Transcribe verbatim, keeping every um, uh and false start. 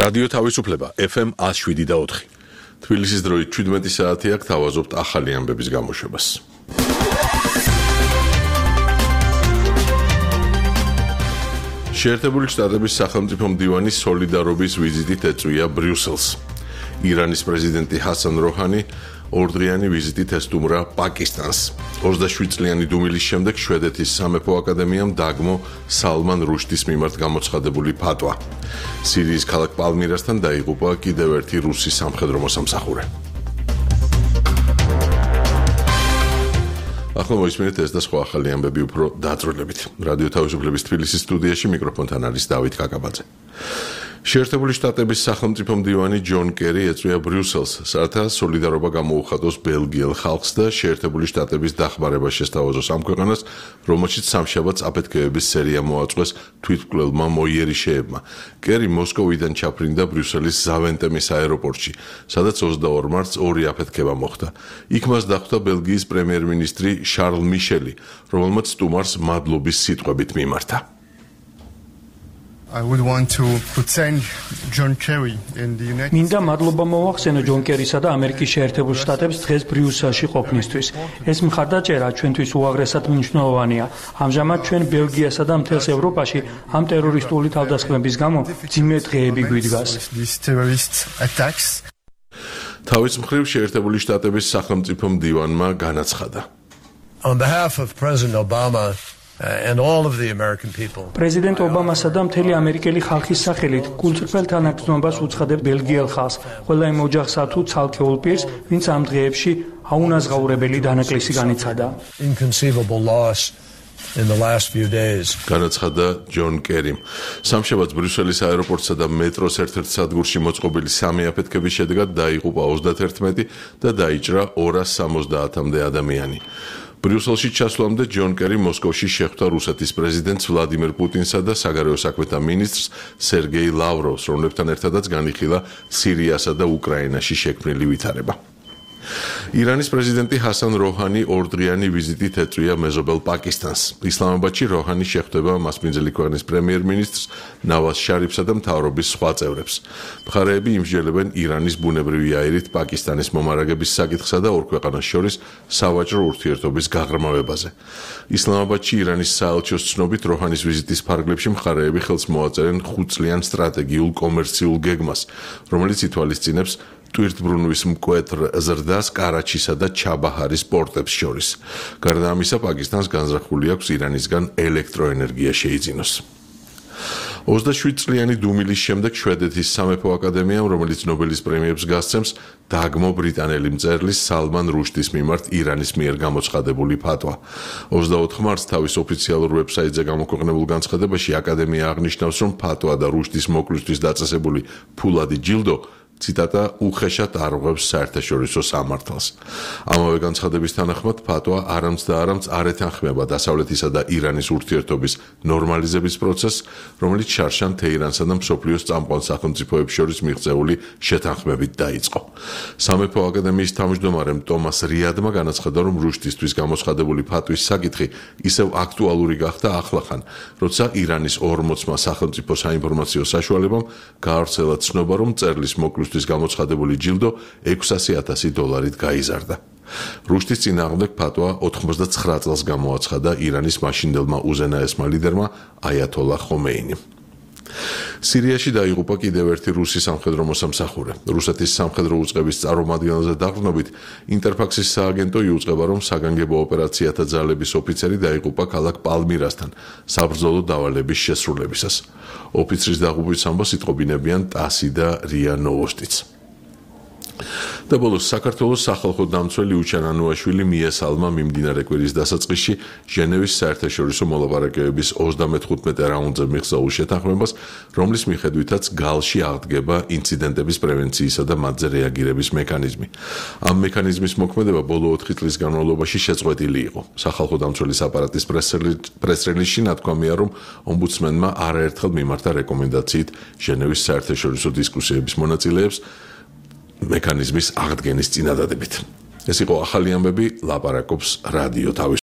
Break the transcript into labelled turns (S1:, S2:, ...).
S1: რადიო თავისუფლება F M one oh seven და ოთხი. თბილისის დროით შვიდმეტი საათი აქ თავაზობთ ახალი ამბების გამოშვებას. შეერთებული შტატების სახელმწიფო მდივანი სოლიდარობის ვიზიტით ეწვია ბრიუსელს. ირანის პრეზიდენტი ჰასან როჰანი ორდღიანი ვიზიტით ესტუმრა პაკისტანს. ოცდაშვიდ წლიანი დუმილის შემდეგ შვედეთის სამეფო აკადემიამ დაგმო სალმან რუშდის მიმართ გამოცხადებული ფატვა. სირიის ქალაქ პალმირასთან დაიღუპა კიდევ ერთი რუსი სამხედრო მოსამსახურე. ახლა მოისმინეთ ეს და სხვა ახალი ამბები უფრო დაწვრილებით. რადიო თავისუფლების თბილისის სტუდიაში მიკროფონთან არის დავით კაკაბაძე. შეერთებული შტატების სახელმწიფო მდივანი ჯონ კერი ეწვია ბრიუსელს, რათა სოლიდარობა გამოუხატოს ბელგიელ ხალხს და შეერთებული შტატების დახმარება შესთავაზოს ამ ქვეყანას, რომელშიც სამშაბათს აფეთქებების სერია მოაწყვეს თვითმკვლელმა მოიერიშეებმა. კერი მოსკოვიდან ჩაფრინდა ბრიუსელის ზავენტემის აეროპორტში, სადაც ოცდაორ მარტს ორი აფეთქება მოხდა. იქ მას დახვდა ბელგიის პრემიერ-მინისტრი შარლ მიშელი, რომელმაც სტუმარს მადლობის სიტყვებით მიმართა.
S2: I would want to thank John Kerry in the United States.
S3: მინდა მადლობა მოვახსენო ჯონ კერისა და ამერიკის შეერთებულ შტატებს დღეს ბრიუსელში ყოფნისთვის. ეს მხარდაჭერა ჩვენთვის უაღრესად მნიშვნელოვანია. ამჟამად ჩვენ ბელგიასა და მთელს ევროპაში ამ ტერორისტული თავდასხმების გამო ძიმე დღეები გვიდგას.
S1: თავის მხრივ შეერთებული შტატების სახელმწიფო მდივანმა განაცხადა.
S4: On behalf of President Obama and all of the American people.
S3: პრეზიდენტ ობამასა და მთელი ამერიკელი ხალხის სახელით გულწრფელ თანაგრძნობას უცხადებ ბელგიელ ხალხს, ყველა იმ ოჯახსა თუ ცალკეულ პირს, ვინც ამ დღეებში აუნაზღაურებელი დანაკლისი განიცადა.
S4: Inconceivable loss in the last few days.
S1: განაცხადა ჯონ კერიმ. სამშაბათს ბრიუსელის აეროპორტსა და მეტროს ერთ-ერთ სადგურში მოწყობილი სამი აფეთქების შედეგად დაიღუპა ოცდაათერთმეტი და დაიჭრა ორას სამოცდაათამდე ადამიანი. ბრიუსელში ჩასვლამდე ჯონ კერი მოსკოვში შეხვდა რუსეთის პრეზიდენტს ვლადიმერ პუტინსა და საგარეო საქმეთა მინისტრს სერგეი ლავროვს, რომლებთან ერთადაც განიხილა სირიასა და უკრაინაში შექმნილი ვითარება. ირანის პრეზიდენტი ჰასან როჰანი ორდღიანი ვიზიტით ეწვია მეზობელ პაკისტანს. ისლამაბადში როჰანი შეხვდება მასპინძელი ქვეყნის პრემიერ-მინისტრს ნავაზ შარიფსა და მთავრობის სხვა წევრებს. მხარეები იმსჯელებენ ირანის ბუნებრივი აირით პაკისტანის მომარაგების საკითხსა და ორ ქვეყანას შორის სავაჭრო ურთიერთობის გაღრმავებაზე. ისლამაბადში ირანის საელჩოს ცნობით როჰანის ვიზიტის ფარგლებში მხარეები ხელს მოაწერენ ხუთწლიან სტრატეგიულ კომერციულ გეგმას, რომელიც ითვალისწინებს ტვირთბრუნვის მკვეთრ ზრდას კარაჩისა და ჩაბაჰარის პორტებს შორის. გარდა ამისა, პაკისტანს განზრახული აქვს ირანისგან ელექტროენერგია შეიძინოს. ოცდაშვიდ წლიანი დუმილის შემდეგ შვედეთის სამეფო აკადემიამ, რომელიც ნობელის პრემიებს გასცემს, დაგმო ბრიტანელი მწერლის სალმან რუშდის მიმართ ირანის მიერ გამოცხადებული ფატვა. ოცდაოთხ მარტს თავის ოფიციალურ ვებსაიტზე გამოქვეყნებულ განცხადებაში აკადემია აღნიშნავს, რომ ფატვა და რუშდის მოკლისთვის დაწესებული ფულადი ჯილდო ციტატა უხეშად არღვევს საერთაშორისო სამართალს. ამავე განცხადების თანახმად ფატვა არამც და არამც არ ეთანხმება დასავლეთისა და ირანის ურთიერთობის ნორმალიზების პროცესს, რომელიც შარშან თეირანსა და მსოფლიოს წამყვან სახელმწიფოებს შორის მიღწეული შეთანხმებით დაიწყო. სამეფო აკადემიის თავმჯდომარემ ტომას რიადმა განაცხადა, რომ რუშდისთვის გამოცხადებული ფატვის საკითხი ისევ აქტუალური გახდა ახლახან, როცა ირანის ორმოცმა სახელმწიფო საინფორმაციო საშუალებამ გაავრცელა ცნობა, რომ მწერლის მოკლვის გამოცხადებული ჯილდო ექვსასი ათასი დოლარით გაიზარდა. რუშდის წინააღმდეგ ფატვა ოთხმოცდაცხრა წელს გამოაცხადა ირანის მაშინდელმა უზენაესმა ლიდერმა აიათოლა ხომეინიმ. სირიაში დაიღუპა კიდევ ერთი რუსი სამხედრო მოსამსახურე. რუსეთის სამხედრო უწყების წარმომადგენელზე დაყრდნობით ინტერფაქსის სააგენტო იუწყება, რომ საგანგებო ოპერაციათა ძალების ოფიცერი დაიღუპა ქალაქ პალმირასთან საბრძოლო დავალების შესრულებისას. ოფიცრის დაღუპვის ამბავს იტყობინებიან ტასი და რია ნოვოსტიც. და ბოლოს საქართველოს სახალხო დამცველი უჩან ანუაშვილი მიესალმა მიმდინარე კვირის დასაწყისში ჟენევის საერთაშორისო მოლაპარაკებების ოცდამეთხუთმეტე რაუნდზე მიღწეულ შეთანხმებას, რომლის მიხედვითაც გალში აღდგება ინციდენტების პრევენციისა და მათზე რეაგირების მექანიზმი. ამ მექანიზმის მოქმედება ბოლო ოთხი წლის განმავლობაში შეწყვეტილი იყო. სახალხო დამცველის აპარატის პრეს-რელიზში ნათქვამია, რომ ომბუდსმენმა არაერთხელ მიმართა რეკომენდაციით ჟენევის საერთაშორისო დისკუსიების მონაწილეებს მექანიზმის აღდგენის წინადადებით. ეს იყო ახალი ამბები, ლაპარაკობს რადიო თავისუფლება.